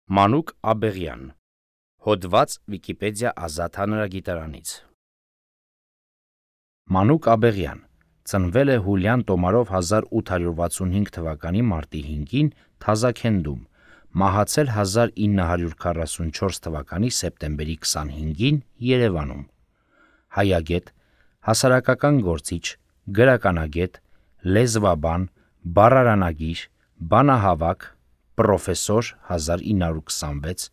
Մանուկ Աբեղյան, հոդված Վիկիպեդիա ազատ հանրագիտարանից։ Մանուկ Աբեղյան ծնվել է Հուլիան Տոմարով 1865 թվականի մարտի 5-ին Թազաքենդում, մահացել 1944 թվականի սեպտեմբերի 25-ին Երևանում։ Հայագետ, հասարակական գործիչ, գրականագետ, լեզվաբան, բառարանագիր, բանահավաք, պրոֆեսոր 1926,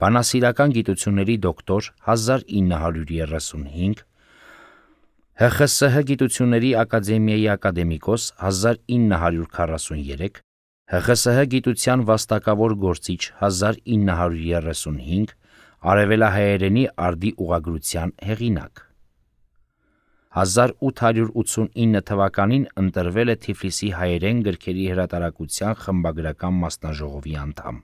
բանասիրական գիտությունների դոկտոր 1935, ՀԽՍՀ գիտությունների ակադեմիայի ակադեմիկոս 1943, ՀԽՍՀ գիտության վաստակավոր գործիչ 1935, արևելահայերենի արդի ուղղագրության հեղինակ։ 1889 թվականին ընտրվել է Թիֆլիսի հայերեն գրքերի հրատարակության խմբագրական մասնաժողովի անդամ։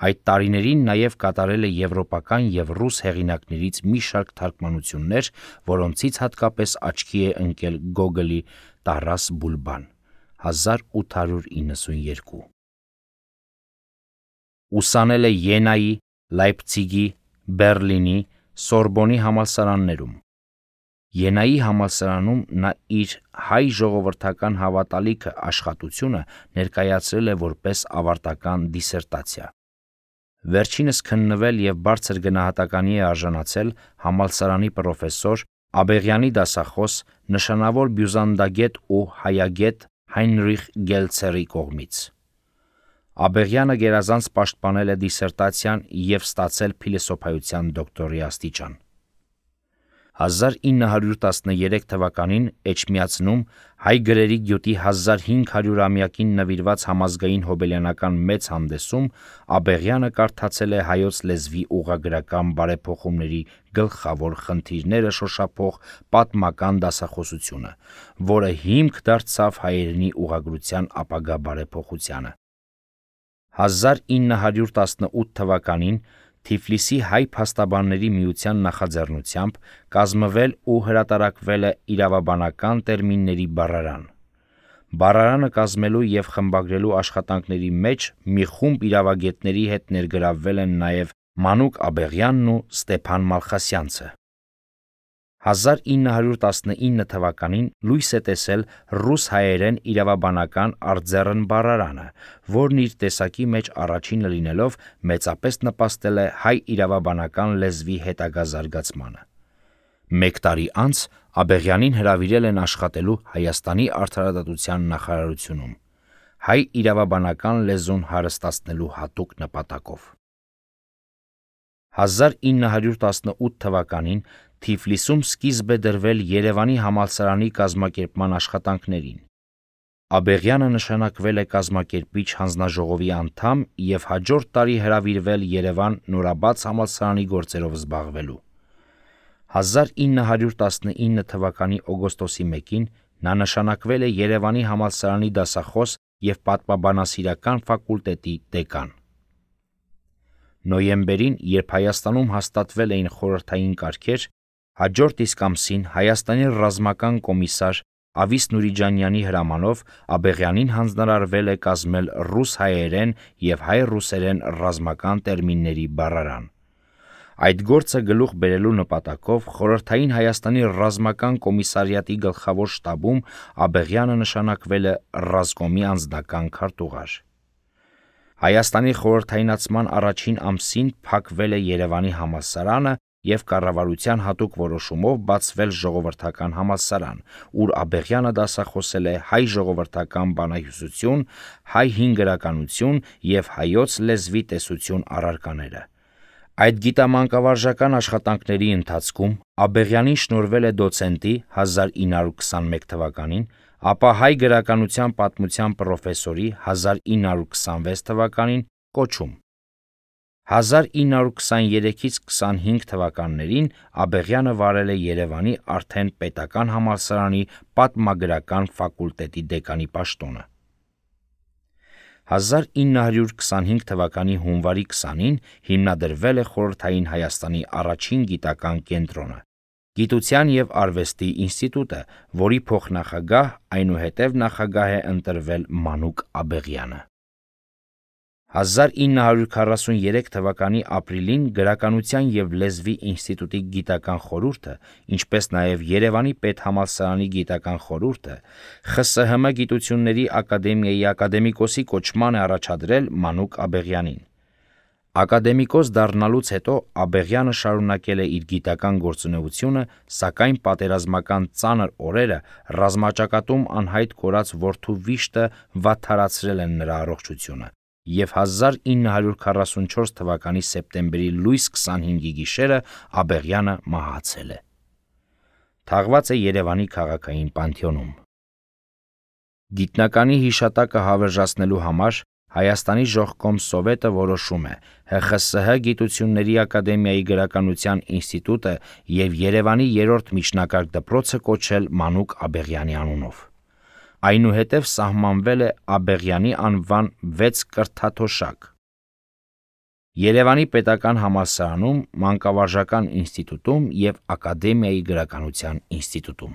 Այդ տարիներին նաև կատարել է եվրոպական և ռուս հեղինակներից մի շարք թարգմանություններ, որոնցից հատկապես աչքի է ընկել Գոգոլի «Տարաս Բուլբան» 1892։ Ուսանել է Յենայի, Լայպցիգի, Բեռլինի, Սորբոնի համալսարաններում։ Յենայի համալսարանում նա իր հայ ժողովրդական հավատալիքը աշխատությունը ներկայացրել է որպես ավարտական դիսերտացիա։ Վերջինս քննվել և բարձր գնահատականի է արժանացել համալսարանի պրոֆեսոր, Աբեղյանի դասախոս, նշանավոր բյուզանդագետ ու հայագետ Հայնրիխ Գելցերի կողմից։ Աբեղյանը գերազանց պաշտպանել է դիսերտացիան և ստացել փիլիսոփայության դոկտորի աստիճան։ 1913 թվականին Էջմիածնում հայ գրերի գյուտի 1500-ամյակին նվիրված համազգային հոբելյանական մեծ հանդեսում Աբեղյանը կարդացել է հայոց լեզվի ուղղագրական բարեփոխումների գլխավոր խնդիրները շոշափող պատմական դասախոսությունը, որը հիմք դարձավ հայերենի ուղղագրության ապագա բարեփոխությանը։ 1918 թվականին Թիֆլիսի հայ փաստաբանների միության նախաձեռնությամբ կազմվել ու հրատարակվել է իրավաբանական տերմինների բառարան։ Բառարանը կազմելու և խմբագրելու աշխատանքների մեջ մի խումբ իրավագետների հետ ներգրավվել են նաև Մանուկ Աբեղյանն ու Ստեփան Մալխասյանցը։ 1919 թվականին լույս է տեսել ռուս-հայերեն իրավաբանական արձեռն բառարանը, որն իր տեսակի մեջ առաջինը լինելով մեծապես նպաստել է հայ իրավաբանական լեզվի հետագա զարգացմանը։ Մեկ տարի անց Աբեղյանին հրավիրել են աշխատելու Հայաստանի արդարադատության նախարարությունում՝ հայ իրավաբանական լեզուն հարստացնելու հատուկ նպատակով։ 1918 թվականին Թիֆլիսում սկիզբ է դրվել Երևանի համալսարանի կազմակերպման աշխատանքներին։ Աբեղյանը նշանակվել է կազմակերպիչ հանձնաժողովի անդամ և հաջորդ տարի հրավիրվել Երևան նորաբաց համալսարանի գործերով զբաղվելու։ 1919 թվականի օգոստոսի 1-ին նա նշանակվել է Երևանի համալսարանի դասախոս և պատմաբանասիրական ֆակուլտետի դեկան։ Նոյեմբերին, երբ Հայաստանում հաստատվել էին խորհրդային կարգեր, հաջորդ իսկ ամսին Հայաստանի ռազմական կոմիսար Ավիս Նուրիջանյանի հրամանով Աբեղյանին հանձնարարվել է կազմել ռուս-հայերեն և հայ-ռուսերեն ռազմական տերմինների բառարան։ Այդ գործը գլուխ բերելու նպատակով խորհրդային Հայաստանի ռազմական կոմիսարիատի գլխավոր շտաբում Աբեղյանը նշանակվել է ռազմկոմի անձնական քարտուղար։ Հայաստանի խորհրդայնացման առաջին ամսին փակվել է Երևանի համալսարանը և կառավարության հատուկ որոշումով բացվել ժողովրդական համալսարան, ուր Աբեղյանը դասախոսել է հայ ժողովրդական բանահյուսություն, հայ հին գրականություն և հայոց լեզվի տեսություն առարկաները։ Այդ գիտամանկավարժական աշխատանքների ընթացքում Աբեղյանին շնորհվել է դոցենտի 1921 թվականին, ապա հայ գրականության պատմության պրոֆեսորի 1926 թվականին կոչում։ 1923-25 թվականներին Աբեղյանը վարել է Երևանի արդեն պետական համալսարանի պատմագրական ֆակուլտետի դեկանի պաշտոնը։ 1925 թվականի հունվարի 20-ին հիմնադրվել է խորհրդային Հայաստանի առաջին գիտական կենտրոնը՝ Գիտության և արվեստի ինստիտուտը, որի փոխնախագահ, այնուհետև նախագահ է ընտրվել Մանուկ Աբեղյանը։ 1943 թվականի ապրիլին Գրականության և լեզվի ինստիտուտի գիտական խորհուրդը, ինչպես նաև Երևանի պետհամալսարանի գիտական խորհուրդը ԽՍՀՄ գիտությունների ակադեմիայի ակադեմիկոսի կոչման է առաջադրել Մանուկ Աբեղյանին։ Ակադեմիկոս դառնալուց հետո Աբեղյանը շարունակել է իր գիտական գործունեությունը, սակայն պատերազմական ծանր օրերը ռազմաճակատում անհայտ կորած որդու վիշտը վատթարացրել են նրա առողջությունը, և 1944 թվականի սեպտեմբերի լույս 25-ի գիշերը Աբեղյանը մահացել է։ Թաղված է Երևանի քաղաքային պանթեոնում։ Գիտնականի հիշատակը հավերժացնելու համար Հայաստանի ժողկոմ սովետը որոշում է ՀԽՍՀ Գիտությունների ակադեմիայի Գրականության ինստիտուտը և Երևանի 3-րդ միջնակարգ դպրոցը կոչել Մանուկ Աբեղյանի անունով։ Այնուհետև սահմանվել է Աբեղյանի անվան 6 կրթաթոշակ Երևանի պետական համալսարանում, Մանկավարժական ինստիտուտում և Ակադեմիայի Գրականության ինստիտուտում։